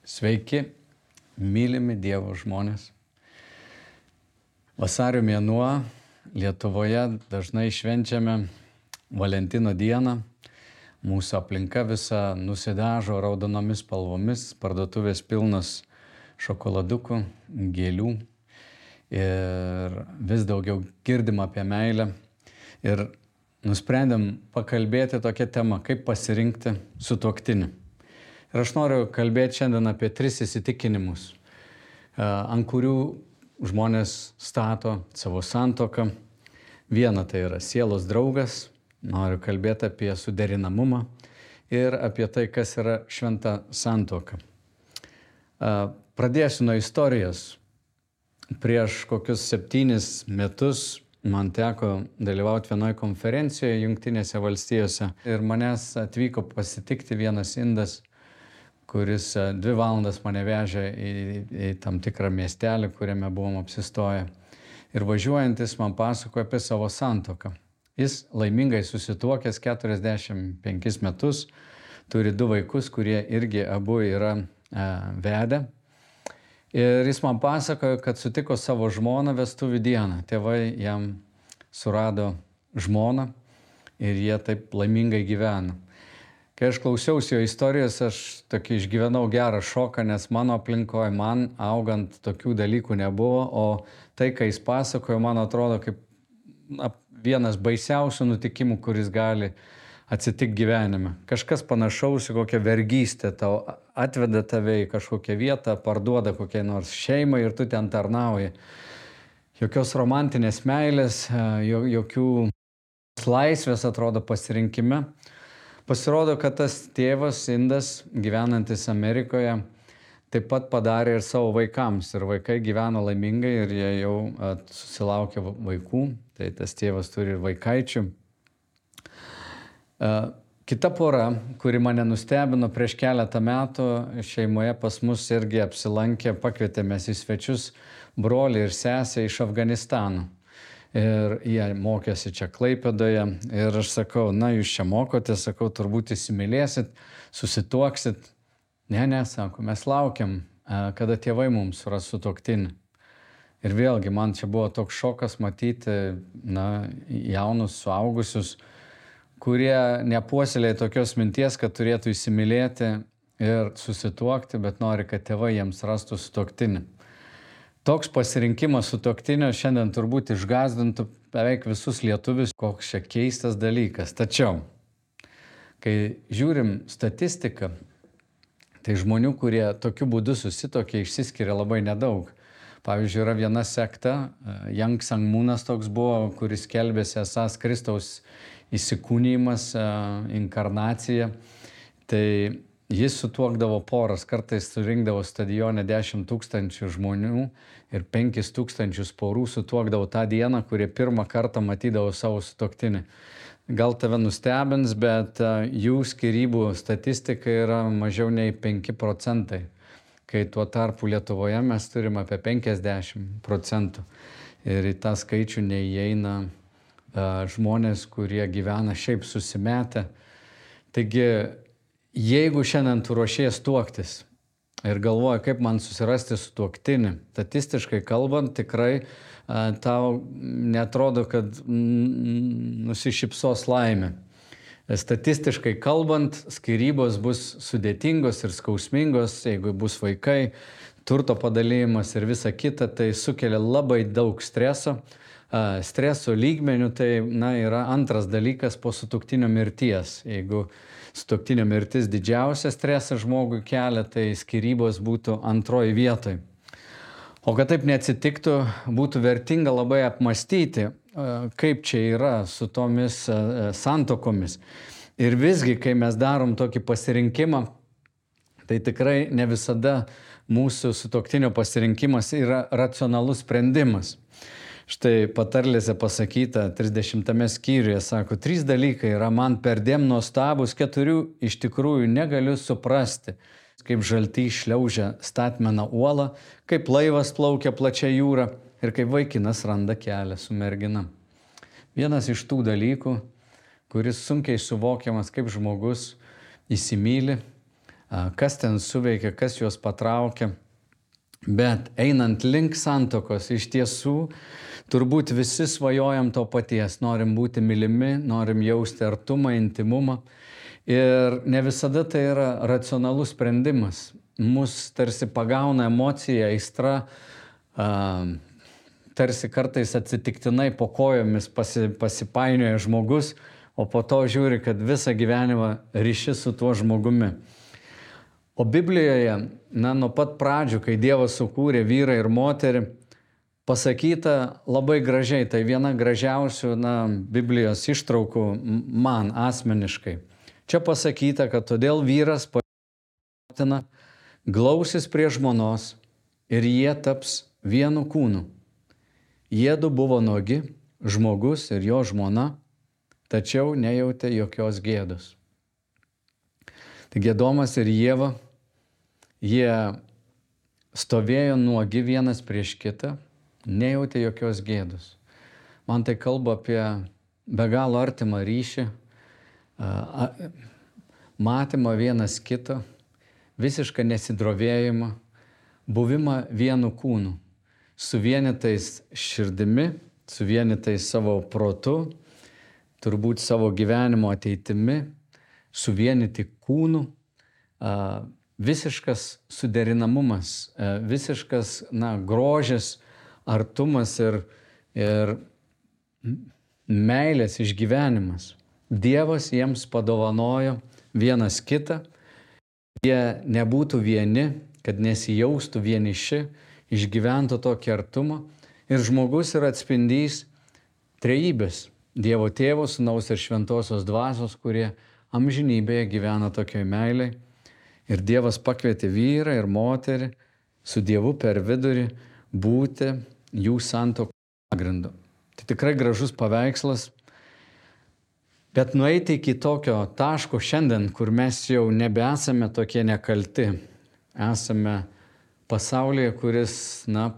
Sveiki, mylimi Dievo žmonės. Vasario mėnuo Lietuvoje dažnai švenčiame Valentino dieną. Mūsų aplinka visa nusidažo raudonomis spalvomis, parduotuvės pilnos šokoladukų, gėlių ir vis daugiau girdim apie meilę. Ir nusprendėm pakalbėti tokią temą, kaip pasirinkti sutuoktinį. Ir aš noriu kalbėti šiandien apie 3 įsitikinimus, ant kurių žmonės stato savo santuoką. Viena tai yra sielos draugas, noriu kalbėti apie suderinamumą ir apie tai, kas yra šventa santuoka. Pradėsiu nuo istorijos. Prieš kokius 7 metus man teko dalyvauti vienoje konferencijoje Jungtinėse valstijose ir manęs atvyko pasitikti vienas indas, kuris 2 valandas mane vežė į tam tikrą miestelį, kuriame buvom apsistoję. Ir važiuojantis man pasakojo apie savo santuoką. Jis laimingai susituokęs 45 metus, turi 2 vaikus, kurie irgi abu yra vedę. Ir jis man pasakojo, kad sutiko savo žmoną vestuvių dieną. Tėvai jam surado žmoną ir jie taip laimingai gyveno. Kai aš klausiausi jo istorijos, aš tokį išgyvenau gerą šoką, nes mano aplinkoje, man augant tokių dalykų nebuvo, o tai, kai jis pasakojo, man atrodo kaip vienas baisiausių nutikimų, kuris gali atsitikti gyvenime. Kažkas panašaus į kokią vergystę, tau atveda tave į kažkokią vietą, parduoda kokiai nors šeimai ir tu ten tarnauji. Jokios romantinės meilės, jokių laisvės atrodo pasirinkime. Pasirodo, kad tas tėvas indas, gyvenantis Amerikoje, taip pat padarė ir savo vaikams. Ir vaikai gyveno laimingai ir jie jau susilaukė vaikų. Tai tas tėvas turi ir vaikaičių. Kita pora, kuri mane nustebino prieš keletą metų, šeimoje pas mus irgi apsilankė, pakvietėmės į svečius brolį ir sesę iš Afganistano. Ir jie mokėsi čia Klaipėdoje ir aš sakau, na jūs čia mokotės, sakau, turbūt įsimylėsit, susituoksit. Ne, sako, mes laukiam, kada tėvai mums suras sutuoktinį. Ir vėlgi man čia buvo toks šokas matyti, jaunus suaugusius, kurie nepuoselėja tokios minties, kad turėtų įsimylėti ir susituokti, bet nori, kad tėvai jiems rastų sutuoktinį. Toks pasirinkimas sutuoktinio šiandien turbūt išgąsdintų beveik visus lietuvius, koks čia keistas dalykas. Tačiau, kai žiūrim statistiką, tai žmonių, kurie tokiu būdu susituokė, išsiskiria labai nedaug. Pavyzdžiui, yra viena sekta, Yang Sangmunas toks buvo, kuris skelbėsi esąs Kristaus įsikūnijimas, inkarnacija. Tai jis sutuokdavo poras, kartais surinkdavo stadione 10 000 žmonių ir 5 000 porų sutuokdavo tą dieną, kurie pirmą kartą matydavo savo sutuoktinį. Gal tave nustebins, bet jų skyrybų statistika yra mažiau nei 5%, kai tuo tarpu Lietuvoje mes turime apie 50%. Ir į tą skaičių neįeina žmonės, kurie gyvena šiaip susimetę. Taigi, jeigu šiandien tu ruošies tuoktis ir galvoji, kaip man susirasti sutuoktinį, statistiškai kalbant, tikrai tau netrodo, kad nusišypsos laimė. Statistiškai kalbant, skyrybos bus sudėtingos ir skausmingos, jeigu bus vaikai, turto padalymas ir visa kita, tai sukelia labai daug streso. Streso lygmenių tai yra antras dalykas po sutuoktinio mirties. Jeigu sutuoktinio mirtis didžiausia stresą žmogui kelia, tai skyrybos būtų antroji vietoj. O kad taip neatsitiktų, būtų vertinga labai apmastyti, kaip čia yra su tomis santuokomis. Ir visgi, kai mes darom tokį pasirinkimą, tai tikrai ne visada mūsų sutuoktinio pasirinkimas yra racionalus sprendimas. Štai patarlėse pasakyta 30 skyriuje, sako, 3 dalykai yra man perdėm nuostabus, 4 iš tikrųjų negaliu suprasti. Kaip žaltys šliaužia statmena uolą, kaip laivas plaukia plačia jūra ir kaip vaikinas randa kelią su mergina. Vienas iš tų dalykų, kuris sunkiai suvokiamas, kaip žmogus įsimyli, kas ten suveikia, kas juos patraukia. Bet einant link santuokos, iš tiesų, turbūt visi svajojam to paties. Norim būti mylimi, norim jausti artumą, intimumą. Ir ne visada tai yra racionalus sprendimas. Mus tarsi pagauna emocija, aistra, tarsi kartais atsitiktinai po kojomis pasipainioja žmogus, o po to žiūri, kad visą gyvenimą ryši su tuo žmogumi. O Biblijoje, nuo pat pradžių, kai Dievas sukūrė vyrą ir moterį, pasakyta labai gražiai, tai viena gražiausių Biblijos ištraukų man asmeniškai. Čia pasakyta, kad todėl vyras motina glausis prie žmonos ir jie taps vienu kūnu. Jiedu buvo nuogi, žmogus ir jo žmona, tačiau nejautė jokios gėdos. Taigi Adomas ir Ieva, jie stovėjo nuogi vienas prieš kitą, nejautė jokios gėdos. Man tai kalba apie be galo artimą ryšį, matymą vienas kito, visišką nesidrovėjimą, buvimą vienu kūnu, suvienytais širdimi, suvienytais savo protu, turbūt savo gyvenimo ateitimi, suvienyti kūnų, visiškas suderinamumas, visiškas grožis, artumas ir meilės išgyvenimas. Dievas jiems padovanojo vienas kitą, jie nebūtų vieni, kad nesijaustų vieniši, išgyventų tokį artumą. Ir žmogus yra atspindys trejybės, Dievo Tėvo, Sūnaus ir Šventosios Dvasios, kurie amžinybėje gyvena tokioj meiliai. Ir Dievas pakvietė vyrą ir moterį su Dievu per vidurį būti jų santuokos pagrindu. Tai tikrai gražus paveikslas. Bet nueiti iki tokio taško šiandien, kur mes jau nebesame tokie nekalti, esame pasaulyje, kuris,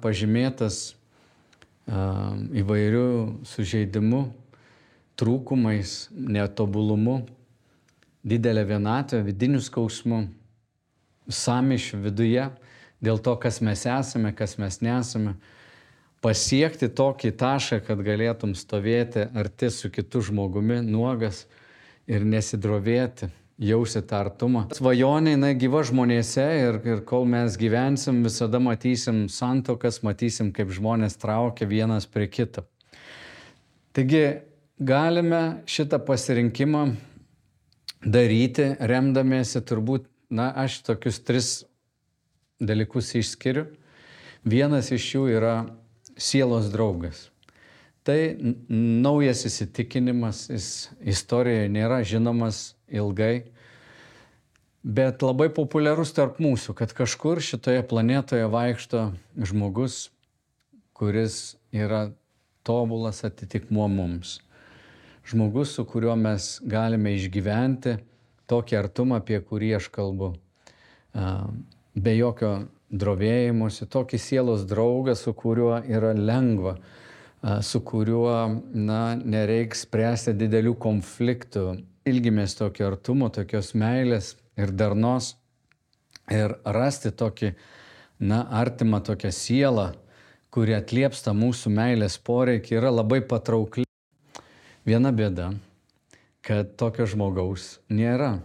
pažymėtas įvairių sužeidimų, trūkumais, netobulumu, didelė vienatvė, vidinių skausmų, sąmyšių viduje, dėl to, kas mes esame, kas mes nesame, pasiekti tokį tašką, kad galėtum stovėti arti su kitu žmogumi, nuogas ir nesidrovėti, jausti tą artumą. Svajonė gyva žmonėse ir kol mes gyvensim, visada matysim santuokas, matysim, kaip žmonės traukia vienas prie kito. Taigi galime šitą pasirinkimą daryti, remdamiesi turbūt, aš tokius 3 dalykus išskiriu. Vienas iš jų yra sielos draugas. Tai naujas įsitikinimas, jis istorijoje nėra žinomas ilgai, bet labai populiarus tarp mūsų, kad kažkur šitoje planetoje vaikšto žmogus, kuris yra tobulas atitikmuo mums. Žmogus, su kuriuo mes galime išgyventi tokį artumą, apie kurį aš kalbu. Be jokio drovėjimuose, tokį sielos draugą, su kuriuo yra lengva, su kuriuo nereiks spręsti didelių konfliktų. Ilgimės tokio artumo, tokios meilės ir darnos ir rasti tokį artimą tokią sielą, kuri atliepsta mūsų meilės poreikį, yra labai patraukli. Viena bėda, kad tokio žmogaus nėra.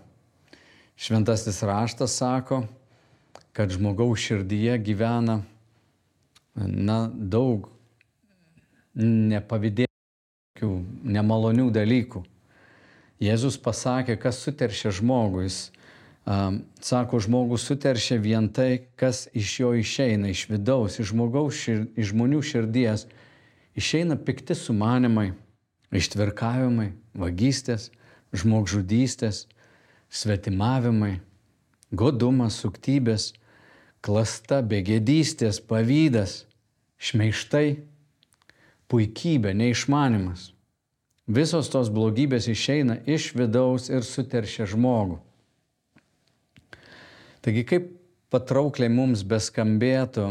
Šventasis raštas sako, kad žmogaus širdyje gyvena daug nepavydėtų, nemalonių dalykų. Jėzus pasakė, kas suteršia žmogų. Jis sako, žmogus suteršia vien tai, kas iš jo išeina, iš vidaus, iš žmonių širdies. Išeina pikti sumanimai, ištvirkavimai, vagystės, žmogžudystės, svetimavimai, godumas, suktybės, klasta, begėdystės, pavydas, šmeižtai, puikybė, neišmanimas. Visos tos blogybės išeina iš vidaus ir suteršia žmogų. Taigi kaip patraukliai mums beskambėtų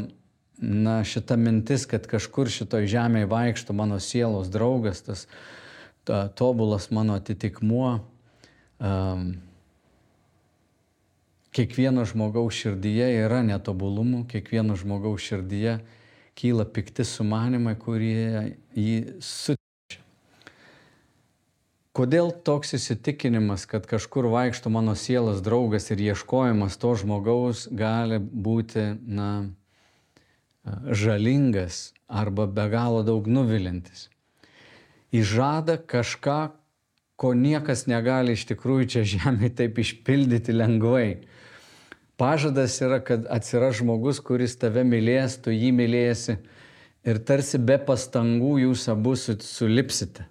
šita mintis, kad kažkur šitoj žemėje vaikšto mano sielos draugas, tas tobulas mano atitikmuo, kiekvieno žmogaus širdyje yra netobulumų, kiekvieno žmogaus širdyje kyla pikti sumanimai, kurie jį sutrečia. Kodėl toks įsitikinimas, kad kažkur vaikšto mano sielos draugas ir ieškojimas to žmogaus gali būti, žalingas arba be galo daug nuvilintis? Jis žada kažką, ko niekas negali iš tikrųjų čia žemėje taip išpildyti lengvai. Pažadas yra, kad atsiras žmogus, kuris tave mylės, tu jį mylėsi ir tarsi be pastangų jūs abu sulipsite.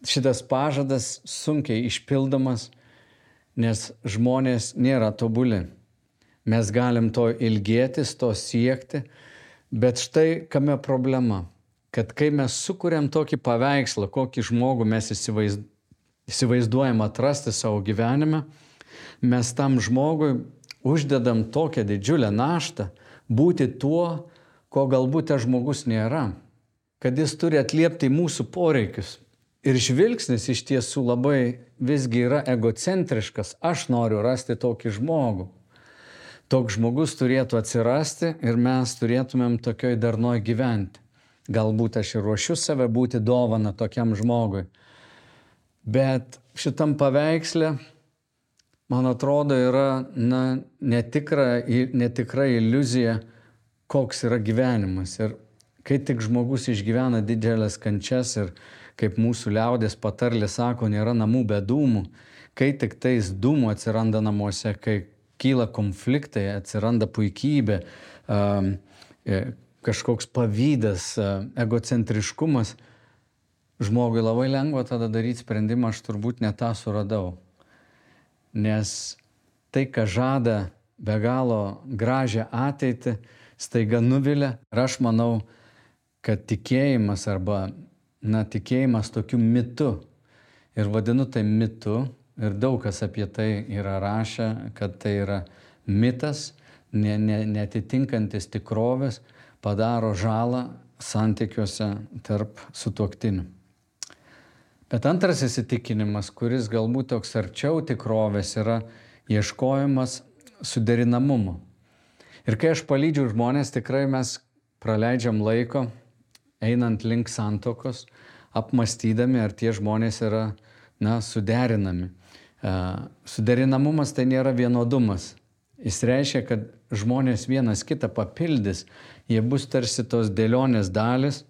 Šitas pažadas sunkiai išpildomas, nes žmonės nėra tobuli. Mes galim to ilgėtis, to siekti, bet štai kame problema, kad kai mes sukuriam tokį paveikslą, kokį žmogų mes įsivaizduojam atrasti savo gyvenime, mes tam žmogui uždedam tokią didžiulę naštą būti tuo, ko galbūt tas žmogus nėra, kad jis turi atliepti mūsų poreikius. Ir žvilgsnis iš tiesų labai visgi yra egocentriškas. Aš noriu rasti tokį žmogų. Toks žmogus turėtų atsirasti ir mes turėtumėm tokioj darnoj gyventi. Galbūt aš ir ruošiu save būti dovana tokiam žmogui. Bet šitam paveiksle, man atrodo, yra netikra iliuzija, koks yra gyvenimas. Ir kai tik žmogus išgyvena didelės kančias ir, kaip mūsų liaudės patarlė sako, nėra namų be dūmų, kai tik tais dūmų atsiranda namuose, kai kyla konfliktai, atsiranda puikybė, kažkoks pavydas, egocentriškumas, žmogui labai lengva tada daryti sprendimą, aš turbūt ne tą suradau. Nes tai, ką žada be galo gražią ateitį, staiga nuvilia. Ir aš manau, kad tikėjimas arba tikėjimas tokiu mitu, ir vadinu tai mitu, ir daug kas apie tai yra rašę, kad tai yra mitas, neatitinkantis tikrovės, padaro žalą santykiuose tarp sutuoktinių. Bet antras įsitikinimas, kuris galbūt toks arčiau tikrovės, yra ieškojimas suderinamumo. Ir kai aš palydžiu žmonės, tikrai mes praleidžiam laiko einant link santuokos, apmąstydami, ar tie žmonės yra suderinami. Suderinamumas tai nėra vienodumas. Jis reiškia, kad žmonės vienas kitą papildys, jie bus tarsi tos dėlionės dalis.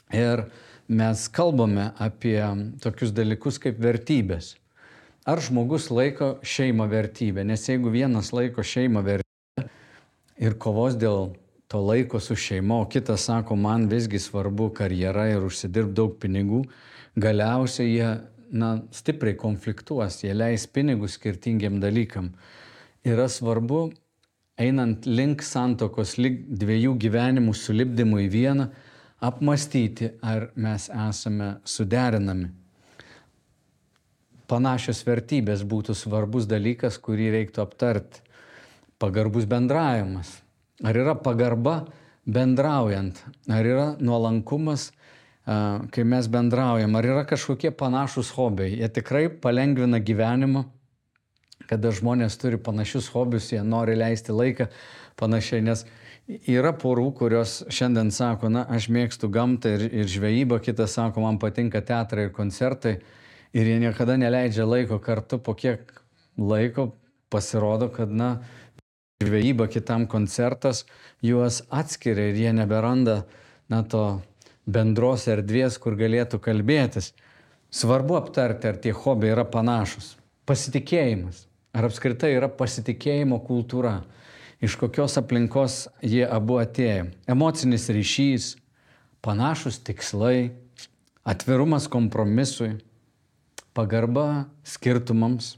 Ir mes kalbame apie tokius dalykus kaip vertybės. Ar žmogus laiko šeimą vertybę? Nes jeigu vienas laiko šeimą vertybę ir kovos dėl to laiko su šeima, o kitas sako, man visgi svarbu karjera ir užsidirbti daug pinigų, galiausiai jie stipriai konfliktuos, jie leis pinigus skirtingiam dalykam. Yra svarbu, einant link santuokos, link dviejų gyvenimų sulipdymų į vieną, apmąstyti, ar mes esame suderinami. Panašios vertybės būtų svarbus dalykas, kurį reiktų aptarti. Pagarbus bendravimas. Ar yra pagarba bendraujant? Ar yra nuolankumas, kai mes bendraujam? Ar yra kažkokie panašus hobiai? Jie tikrai palengvina gyvenimą, kada žmonės turi panašius hobius, jie nori leisti laiką panašiai. Nes yra porų, kurios šiandien sako, aš mėgstu gamtą ir žvejybą, kitas sako, man patinka teatrai ir koncertai. Ir jie niekada neleidžia laiko kartu, po kiek laiko pasirodo, kad žvejyba, kitam koncertas, juos atskiria ir jie neberanda to bendros erdvės, kur galėtų kalbėtis. Svarbu aptarti, ar tie hobiai yra panašus. Pasitikėjimas. Ar apskritai yra pasitikėjimo kultūra. Iš kokios aplinkos jie abu atėjo. Emocinis ryšys, panašus tikslai, atvirumas kompromisui, pagarba skirtumams,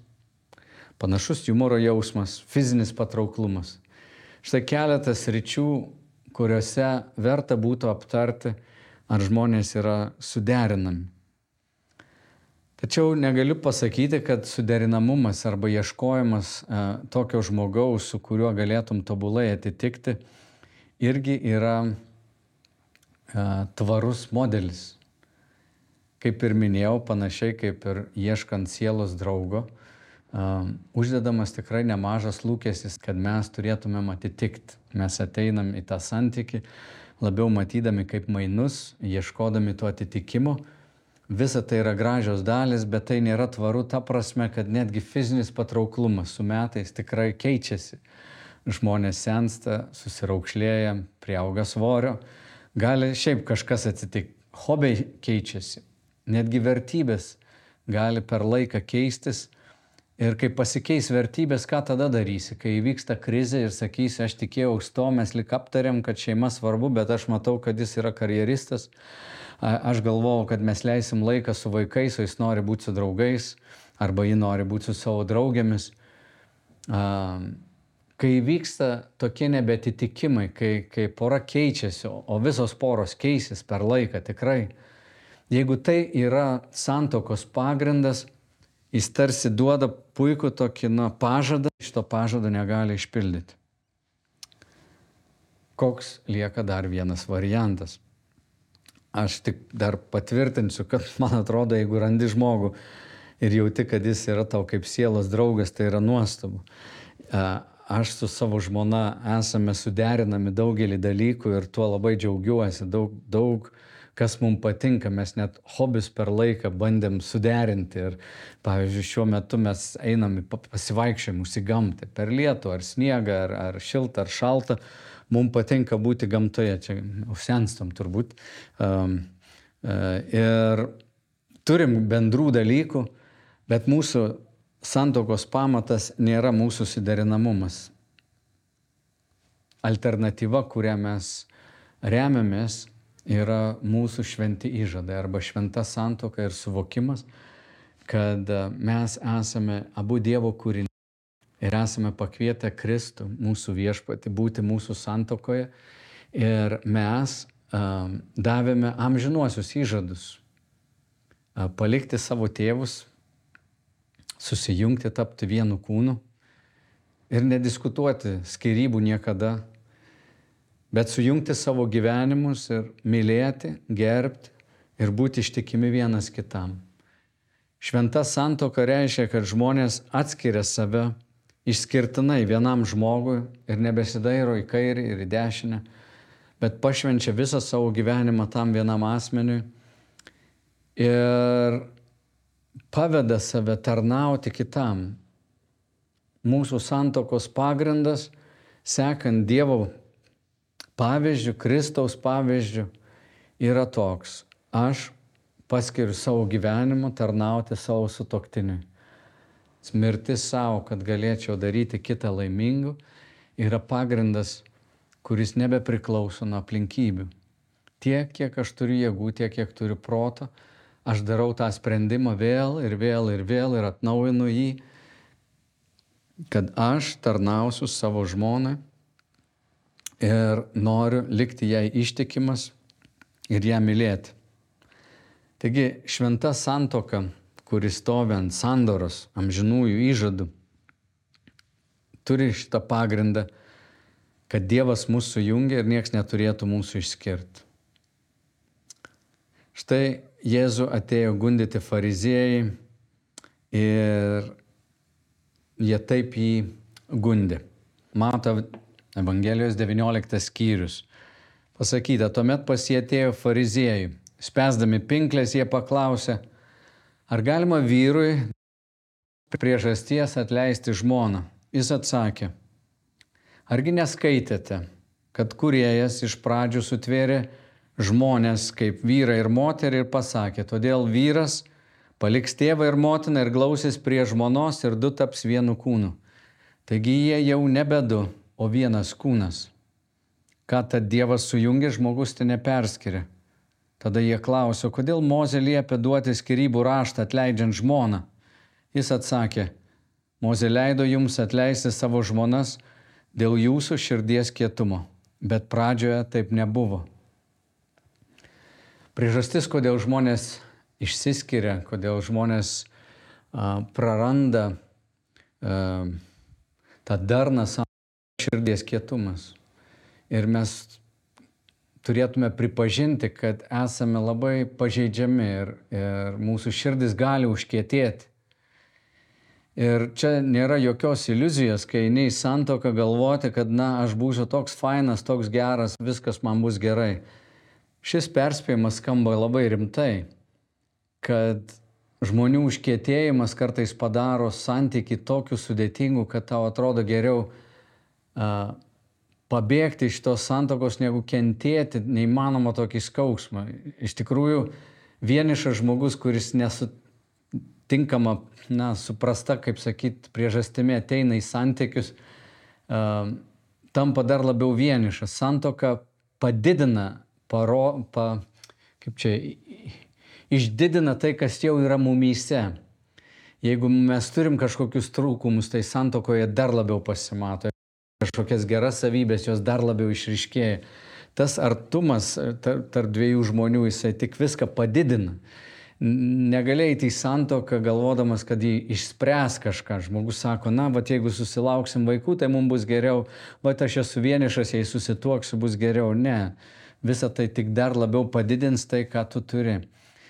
panašus humoro jausmas, fizinis patrauklumas. Štai keletas sričių, kuriuose verta būtų aptarti, ar žmonės yra suderinami. Tačiau negaliu pasakyti, kad suderinamumas arba ieškojimas tokio žmogaus, su kuriuo galėtum tobulai atitikti, irgi yra tvarus modelis. Kaip ir minėjau, panašiai kaip ir ieškant sielos draugo, uždedamas tikrai nemažas lūkestis, kad mes turėtumėm atitikti. Mes ateinam į tą santykį, labiau matydami kaip mainus, ieškodami to atitikimo. Visa tai yra gražios dalis, bet tai nėra tvaru ta prasme, kad netgi fizinis patrauklumas su metais tikrai keičiasi. Žmonės sensta, susiraukšlėja, priauga svorio, gali šiaip kažkas atsitikti. Hobiai keičiasi, netgi vertybės gali per laiką keistis. Ir kai pasikeis vertybės, ką tada darysi? Kai įvyksta krizė ir sakysi, aš tikėjau to, mes lik aptarėm, kad šeima svarbu, bet aš matau, kad jis yra karjeristas. Aš galvojau, kad mes leisim laiką su vaikais, o jis nori būti su draugais, arba ji nori būti su savo draugėmis. Kai vyksta tokie nebetitikimai, kai pora keičiasi, o visos poros keisis per laiką tikrai, jeigu tai yra santuokos pagrindas, jis tarsi duoda puikų tokį pažadą, šito pažado negali išpildyti. Koks lieka dar vienas variantas? Aš tik dar patvirtinsiu, kad man atrodo, jeigu randi žmogų ir jauti, kad jis yra tau kaip sielos draugas, tai yra nuostabu. Aš su savo žmona esame suderinami daugelį dalykų ir tuo labai džiaugiuosi. Daug kas mums patinka, mes net hobius per laiką bandėm suderinti. Ir, pavyzdžiui, šiuo metu mes einam į pasivaikščiojimus į gamtą, per lietų, ar sniegą, ar šiltą, ar šaltą. Mums patinka būti gamtoje, čia senstam turbūt. Ir turim bendrų dalykų, bet mūsų santuokos pamatas nėra mūsų suderinamumas. Alternatyva, kurią mes remiamės, yra mūsų šventi įžadai arba šventa santuoka ir suvokimas, kad mes esame abu Dievo kūriniai ir esame pakvietę Kristų, mūsų viešpatį, būti mūsų santuokoje ir mes davėme amžinuosius įžadus, palikti savo tėvus, susijungti, tapti vienu kūnu ir nediskutuoti skyrybų niekada, bet sujungti savo gyvenimus ir mylėti, gerbti ir būti ištikimi vienas kitam. Šventa santuoka reiškia, kad žmonės atskiria save išskirtinai vienam žmogui ir nebesidairo į kairę ir į dešinę, bet pašvenčia visą savo gyvenimą tam vienam asmeniui ir paveda save tarnauti kitam. Mūsų santuokos pagrindas, sekant Dievo pavyzdžių, Kristaus pavyzdžių, yra toks. Aš paskiriu savo gyvenimą tarnauti savo sutuoktiniui. Mirtis savo, kad galėčiau daryti kitą laimingu, yra pagrindas, kuris nebepriklauso nuo aplinkybių. Tiek, kiek aš turiu jėgų, tiek, kiek turiu proto, aš darau tą sprendimą vėl ir atnaujinu jį, kad aš tarnausiu savo žmonai ir noriu likti jai ištikimas ir ją mylėti. Taigi šventa santuoka, kuris stovi ant sandoros, amžinųjų įžadų, turi šitą pagrindą, kad Dievas mūsų sujungia ir nieks neturėtų mūsų išskirti. Štai Jėzų atėjo gundyti fariziejai ir jie taip jį gundė. Mato Evangelijos 19 skyrius. Pasakyta, tuomet pas jį atėjo fariziejai. Spęsdami pinklės jie paklausė, ar galima vyrui priežasties atleisti žmoną? Jis atsakė, argi neskaitėte, kad kūrėjas iš pradžių sutvėrė žmonės kaip vyrą ir moterį ir pasakė, todėl vyras paliks tėvą ir motiną ir glausis prie žmonos ir du taps vienu kūnu. Taigi jie jau nebe du, o vienas kūnas. Ką tad Dievas sujungė, žmogus tai neperskiria. Tada jie klausė, kodėl Mozė liepė duoti skyrybų raštą atleidžiant žmoną. Jis atsakė, Mozė leido jums atleisti savo žmonas dėl jūsų širdies kietumo, bet pradžioje taip nebuvo. Priežastis, kodėl žmonės išsiskiria, kodėl žmonės praranda tą darną savo širdies kietumas. Ir mes turėtume pripažinti, kad esame labai pažeidžiami ir mūsų širdis gali užkietėti. Ir čia nėra jokios iliuzijos, kai eini į santuoką galvoti, kad aš būsiu toks fainas, toks geras, viskas man bus gerai. Šis perspėjimas skamba labai rimtai, kad žmonių užkietėjimas kartais padaro santykį tokiu sudėtingu, kad tau atrodo geriau pabėgti iš tos santokos, negu kentėti neįmanoma tokį skausmą. Iš tikrųjų, vienišas žmogus, kuris nesutinkama, suprasta, kaip sakyt, priežastimi ateina į santykius, tampa dar labiau vienišas. Santoka padidina, išdidina tai, kas jau yra mumyse. Jeigu mes turim kažkokius trūkumus, tai santokoje dar labiau pasimato. Kažkokias geras savybės, jos dar labiau išryškėja. Tas artumas tarp dviejų žmonių, jisai tik viską padidina. Negali eiti į santoką galvodamas, kad jį išspręs kažką. Žmogus sako, jeigu susilauksim vaikų, tai mums bus geriau. Aš esu vienišas, jei susituoksiu, bus geriau. Ne. Visa tai tik dar labiau padidins tai, ką tu turi.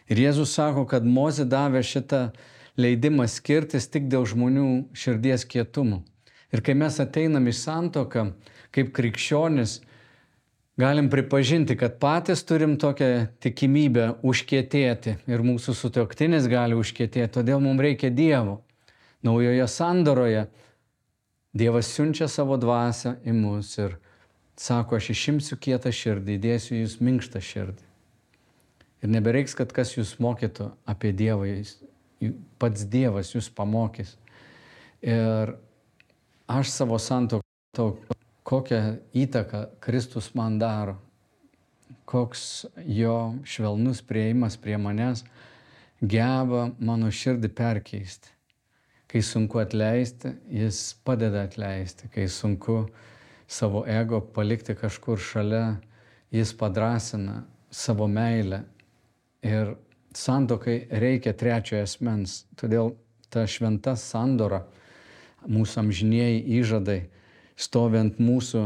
Ir Jėzus sako, kad Mozė davė šitą leidimą skirtis tik dėl žmonių širdies kietumo. Ir kai mes ateinam į santuoką, kaip krikščionis, galim pripažinti, kad patys turim tokią tikimybę užkietėti ir mūsų sutuoktinis gali užkietėti, todėl mums reikia Dievo. Naujoje sandoroje Dievas siunčia savo dvasią į mus ir sako, aš išimsiu kietą širdį, įdėsiu jūs minkštą širdį. Ir nebereiks, kad kas jūs mokytų apie Dievą, pats Dievas jūs pamokys. Ir aš savo santuoką matau, kokią įtaką Kristus man daro, koks jo švelnus priėjimas prie manęs geba mano širdį perkeisti. Kai sunku atleisti, jis padeda atleisti. Kai sunku savo ego palikti kažkur šalia, jis padrasina savo meilę. Ir santuokai reikia trečiojo asmens. Todėl ta šventa sandora, mūsų amžinieji įžadai, stovi ant mūsų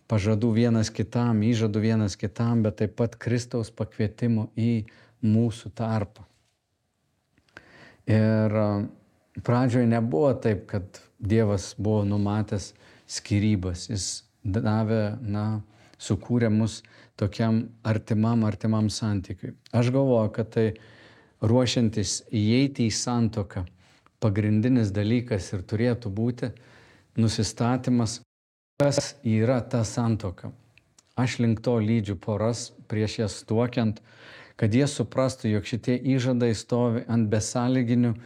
pažadų vienas kitam, įžadų vienas kitam, bet taip pat Kristaus pakvietimo į mūsų tarpą. Ir pradžioje nebuvo taip, kad Dievas buvo numatęs skyrybas. Jis davė, sukūrė mus tokiam artimam santykiui. Aš galvoju, kad tai ruošiantis įeiti į santuoką, pagrindinis dalykas ir turėtų būti nusistatymas, kas yra ta santuoka. Aš link to lydžiu poras prieš jas tuokiant, kad jie suprastų, jog šitie įžadai stovi ant besąlyginių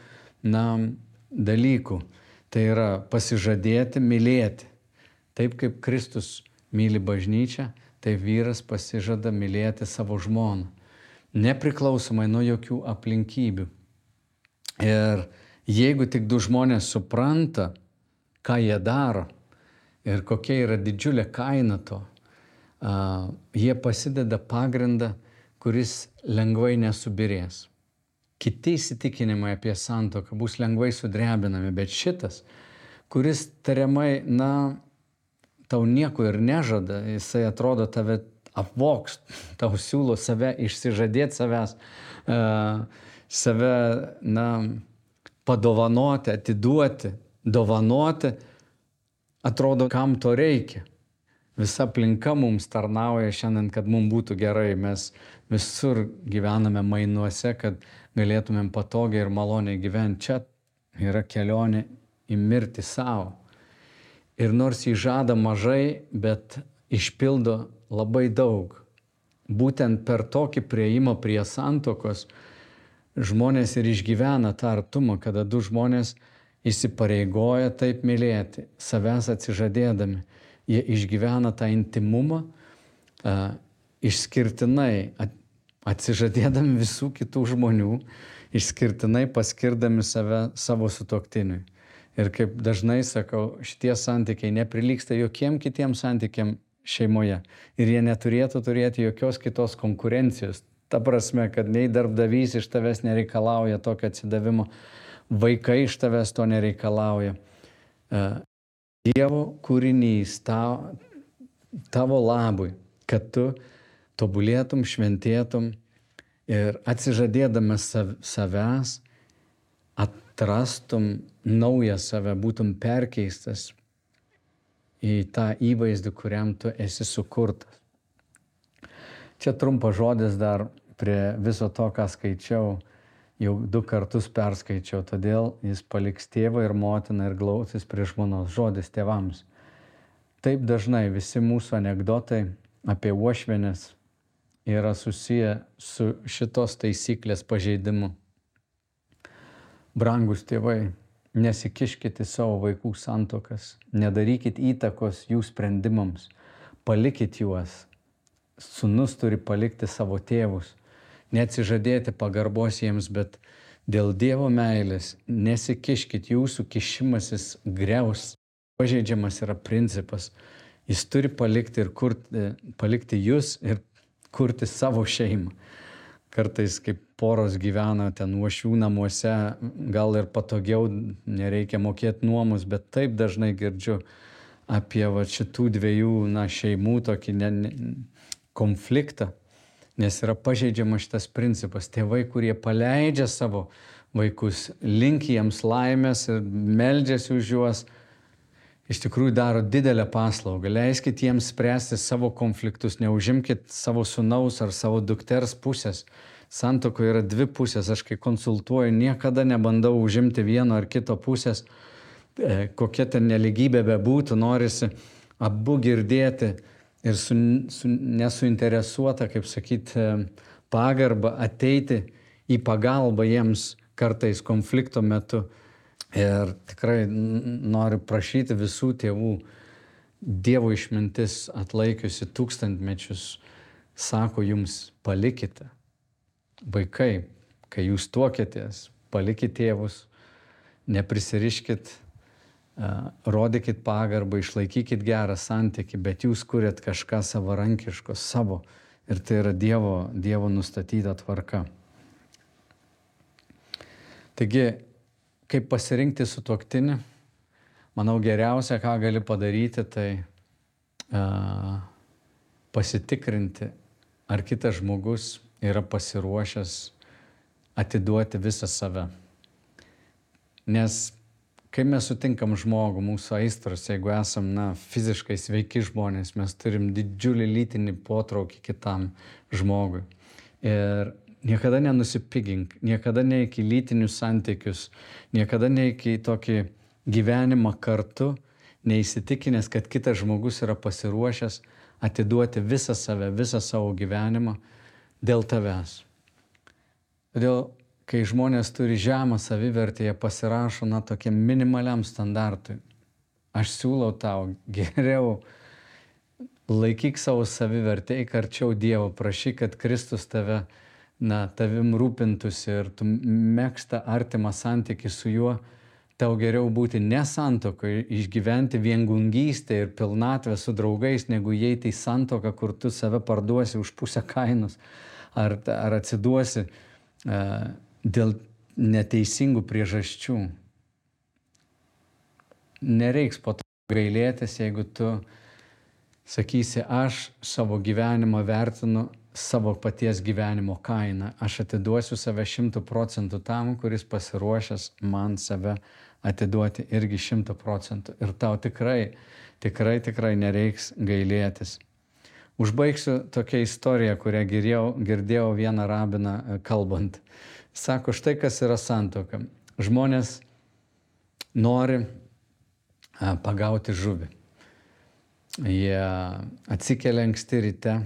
dalykų. Tai yra pasižadėti, mylėti. Taip kaip Kristus myli bažnyčią, tai vyras pasižada mylėti savo žmoną, nepriklausomai nuo jokių aplinkybių. Ir jeigu tik du žmonės supranta, ką jie daro ir kokia yra didžiulė kaina to, jie pasideda pagrindą, kuris lengvai nesubirės. Kiti įsitikinimai apie santuoką bus lengvai sudrebinami, bet šitas, kuris tariamai, tau nieko ir nežada, jisai atrodo tave apvoks, tau siūlo save išsižadėti savęs, save, padovanoti, atiduoti, dovanoti, atrodo, kam to reikia. Visa aplinka mums tarnauja šiandien, kad mums būtų gerai. Mes visur gyvename mainuose, kad galėtumėm patogiai ir maloniai gyventi. Čia yra kelionė į mirtį savo. Ir nors jį žada mažai, bet išpildo labai daug. Būtent per tokį priėjimą prie santuokos žmonės ir išgyvena tą artumą, kada du žmonės įsipareigoja taip mylėti, savęs atsižadėdami. Jie išgyvena tą intimumą išskirtinai, atsižadėdami visų kitų žmonių, išskirtinai paskirdami save savo sutuoktiniui. Ir kaip dažnai sakau, šitie santykiai neprilygsta jokiem kitiem santykiam šeimoje. Ir jie neturėtų turėti jokios kitos konkurencijos. Ta prasme, kad nei darbdavys iš tavęs nereikalauja tokio atsidavimo, vaikai iš tavęs to nereikalauja. Dievo kūrinys tavo labui, kad tu tobulėtum, šventėtum ir atsižadėdamas savęs atrastum naują save, būtum perkeistas į tą įvaizdį, kuriam tu esi sukurtas. Čia trumpas žodis dar prie viso to, ką skaičiau, jau 2 kartus perskaičiau, todėl jis paliks tėvą ir motiną ir glausis prie žmonos. Žodis tėvams. Taip dažnai visi mūsų anekdotai apie uošvienes yra susiję su šitos taisyklės pažeidimu. Brangus tėvai, nesikiškite į savo vaikų santuokas, nedarykit įtakos jų sprendimams, palikit juos. Sūnus turi palikti savo tėvus, neatsižadėti pagarbos jiems, bet dėl Dievo meilės nesikiškit, jūsų kišimasis griaus. Pažeidžiamas yra principas. Jis turi palikti ir palikti jūs ir kurti savo šeimą. Kartais, kaip poros gyvena ten uošvių namuose, gal ir patogiau, nereikia mokėti nuomus, bet taip dažnai girdžiu apie šitų dviejų šeimų tokį konfliktą, nes yra pažeidžiamas šitas principas. Tėvai, kurie paleidžia savo vaikus, linki jiems laimės ir meldžiasi už juos, iš tikrųjų daro didelę paslaugą. Leiskit jiems spręsti savo konfliktus, neužimkit savo sūnaus ar savo dukters pusės. Santuokoje yra 2 pusės. Aš kai konsultuoju, niekada nebandau užimti vieno ar kito pusės. Kokia ten neligybė bebūtų, norisi abu girdėti ir nesuinteresuota, kaip sakyti, pagarba ateiti į pagalbą jiems kartais konflikto metu. Ir tikrai noriu prašyti visų tėvų, Dievo išmintis atlaikiusi tūkstantmečius, sako jums, palikite. Vaikai, kai jūs tuokėtės, palikit tėvus, neprisiriškit, rodykit pagarbą, išlaikykit gerą santykį, bet jūs kuriat kažką savarankiško, savo. Ir tai yra Dievo nustatyta tvarka. Taigi, kaip pasirinkti sutuoktinį? Manau, geriausia, ką gali padaryti, tai pasitikrinti, ar kitas žmogus yra pasiruošęs atiduoti visą save. Nes kai mes sutinkam žmogų, mūsų aistros, jeigu esam fiziškai sveiki žmonės, mes turim didžiulį lytinį potraukį kitam žmogui. Ir niekada nenusipigink, niekada neik į lytinius santykius, niekada neik į tokį gyvenimą kartu, neįsitikinęs, kad kitas žmogus yra pasiruošęs atiduoti visą save, visą savo gyvenimą dėl tavęs. Todėl, kai žmonės turi žemą savivertę, jie pasirašo tokiam minimaliam standartui. Aš siūlau tau, geriau laikyk savo savivertę, eik arčiau Dievo, prašyk, kad Kristus tavim rūpintųsi ir tu megztą artimą santykį su juo, tau geriau būti ne santuokoje, išgyventi viengungystę ir pilnatvę su draugais, negu įeiti į santuoką, kur tu save parduosi už pusę kainos, ar atsiduosi dėl neteisingų priežasčių. Nereiks po to gailėtis, jeigu tu sakysi, aš savo gyvenimą vertinu savo paties gyvenimo kainą. Aš atiduosiu save 100% tam, kuris pasiruošęs man save atiduoti irgi 100%. Ir tau tikrai nereiks gailėtis. Užbaigsiu tokią istoriją, kurią girdėjau vieną rabiną kalbant. Sako, štai kas yra santuoka. Žmonės nori pagauti žuvį. Jie atsikelia anksti ryte,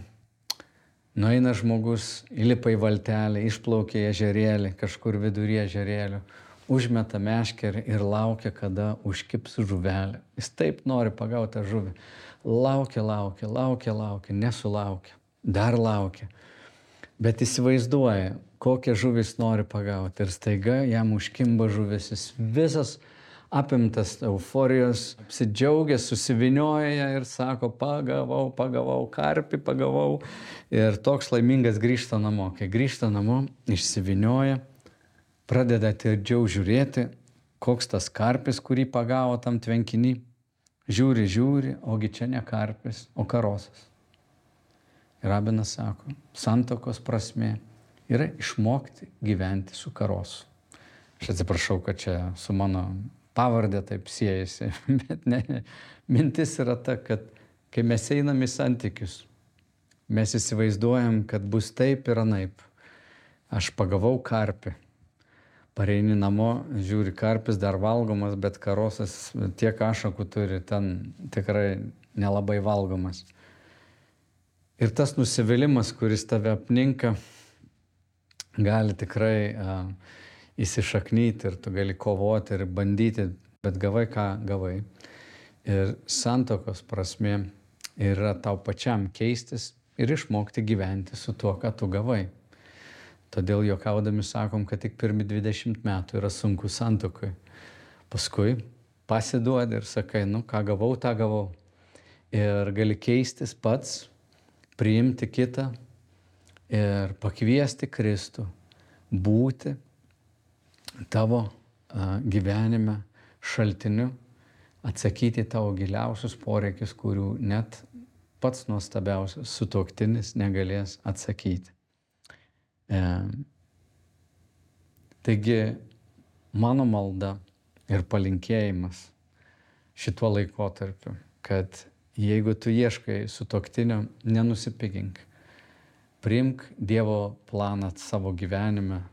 nueina žmogus, įlipa į valtelę, išplaukia į ežerėlį, kažkur vidury ežerėlio, užmeta meškerį ir laukia, kada užkips žuvelė. Jis taip nori pagauti tą žuvį. Laukia, nesulaukia, dar laukia. Bet įsivaizduoja, kokią žuvis nori pagauti. Ir staiga jam užkimba žuvis. Jis visas apimtas euforijos, apsidžiaugęs, susivinioja ir sako, pagavau, karpį pagavau. Ir toks laimingas grįžta namo. Kai grįžta namo, išsivinioja, pradeda atidžiau žiūrėti, koks tas karpis, kurį pagavo tam tvenkiny. Žiūri, ogi čia ne karpis, o karosas. Ir rabinas sako, santuokos prasmė yra išmokti gyventi su karosu. Aš atsiprašau, kad čia su mano pavardė taip siejasi, bet ne, mintis yra ta, kad kai mes einam į santykius, mes įsivaizduojam, kad bus taip ir anaip. Aš pagavau karpį. Pareini namo, žiūri, karpis dar valgomas, bet karosas tiek ašakų turi, ten tikrai nelabai valgomas. Ir tas nusivylimas, kuris tave apninka, gali tikrai įsišaknyti ir tu gali kovoti ir bandyti, bet gavai ką gavai. Ir santuokos prasmė yra tau pačiam keistis ir išmokti gyventi su tuo, ką tu gavai. Todėl juokaudami sakom, kad tik pirmi 20 metų yra sunku santuokoj. Paskui pasiduodi ir sakai, nu ką gavau, tą gavau. Ir gali keistis pats, priimti kitą ir pakviesti Kristų būti tavo gyvenime šaltiniu, atsakyti tavo giliausius poreikius, kurių net pats nuostabiausias sutuoktinis negalės atsakyti. Taigi mano malda ir palinkėjimas šituo laikotarpiu, kad jeigu tu ieškai sutuoktinio, nenusipigink. Priimk Dievo planą savo gyvenime,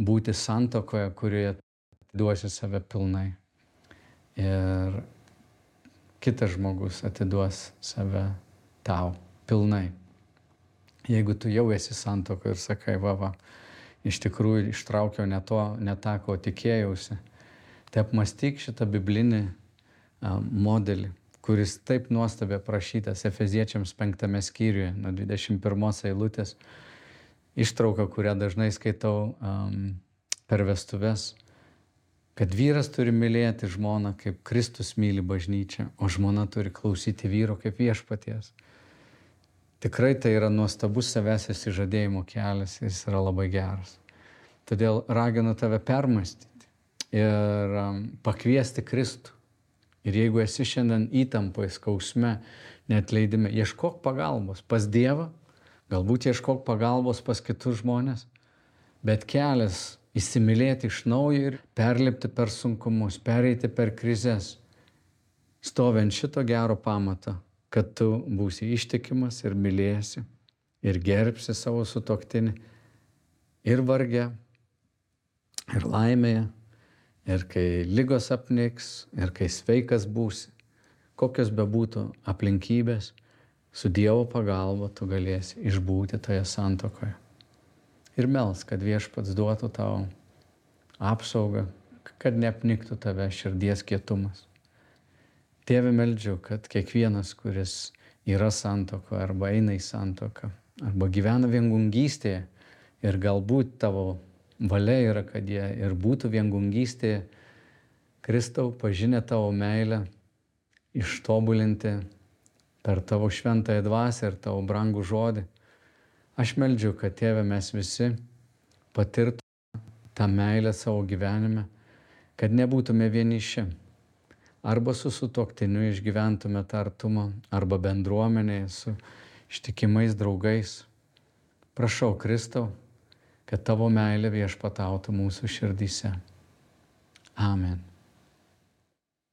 būti santuokoje, kurioje atiduosi save pilnai. Ir kitas žmogus atiduos save tau pilnai. Jeigu tu jau esi santuokoje ir sakai, va, iš tikrųjų ištraukiau ne tą, ko tikėjausi, tai apmąstyk šitą biblinį modelį, kuris taip nuostabiai aprašytas Efeziečiams 5 skyriuje, nuo 21 eilutės, ištrauka, kurią dažnai skaitau per vestuves, kad vyras turi mylėti žmoną, kaip Kristus myli bažnyčią, o žmona turi klausyti vyro kaip viešpaties. Tikrai tai yra nuostabus savęs išsižadėjimo kelias, jis yra labai geras. Todėl raginu tave permąstyti ir pakviesti Kristų. Ir jeigu esi šiandien įtampoje, skausme, neatleidime, ieškok pagalbos pas Dievą, galbūt ieškok pagalbos pas kitus žmonės, bet kelias įsimylėti iš naujo ir perlipti per sunkumus, pereiti per krizes, stovint šito gero pamato, kad tu būsi ištikimas ir mylėsi ir gerbsi savo sutuoktinį ir varge, ir laimėje, ir kai ligos apniks, ir kai sveikas būsi, kokios bebūtų aplinkybės, su Dievo pagalba tu galėsi išbūti toje santuokoje. Ir melsk, kad Viešpats duotų tau apsaugą, kad neapniktų tave širdies kietumas. Tėve, meldžiu, kad kiekvienas, kuris yra santuokoje arba eina į santuoką, arba gyvena viengungystėje ir galbūt tavo valia yra, kad jie ir būtų viengungystėje, Kristau, pažinę tavo meilę, ištobulinti per tavo šventąją dvasią ir tavo brangų žodį. Aš meldžiu, kad Tėve mes visi patirtume tą meilę savo gyvenime, kad nebūtume vieniši. Arba su sutuoktiniu išgyventume tą artumą, arba bendruomenėje su ištikimais draugais. Prašau, Kristau, kad tavo meilė viešpatautų mūsų širdyse. Amen.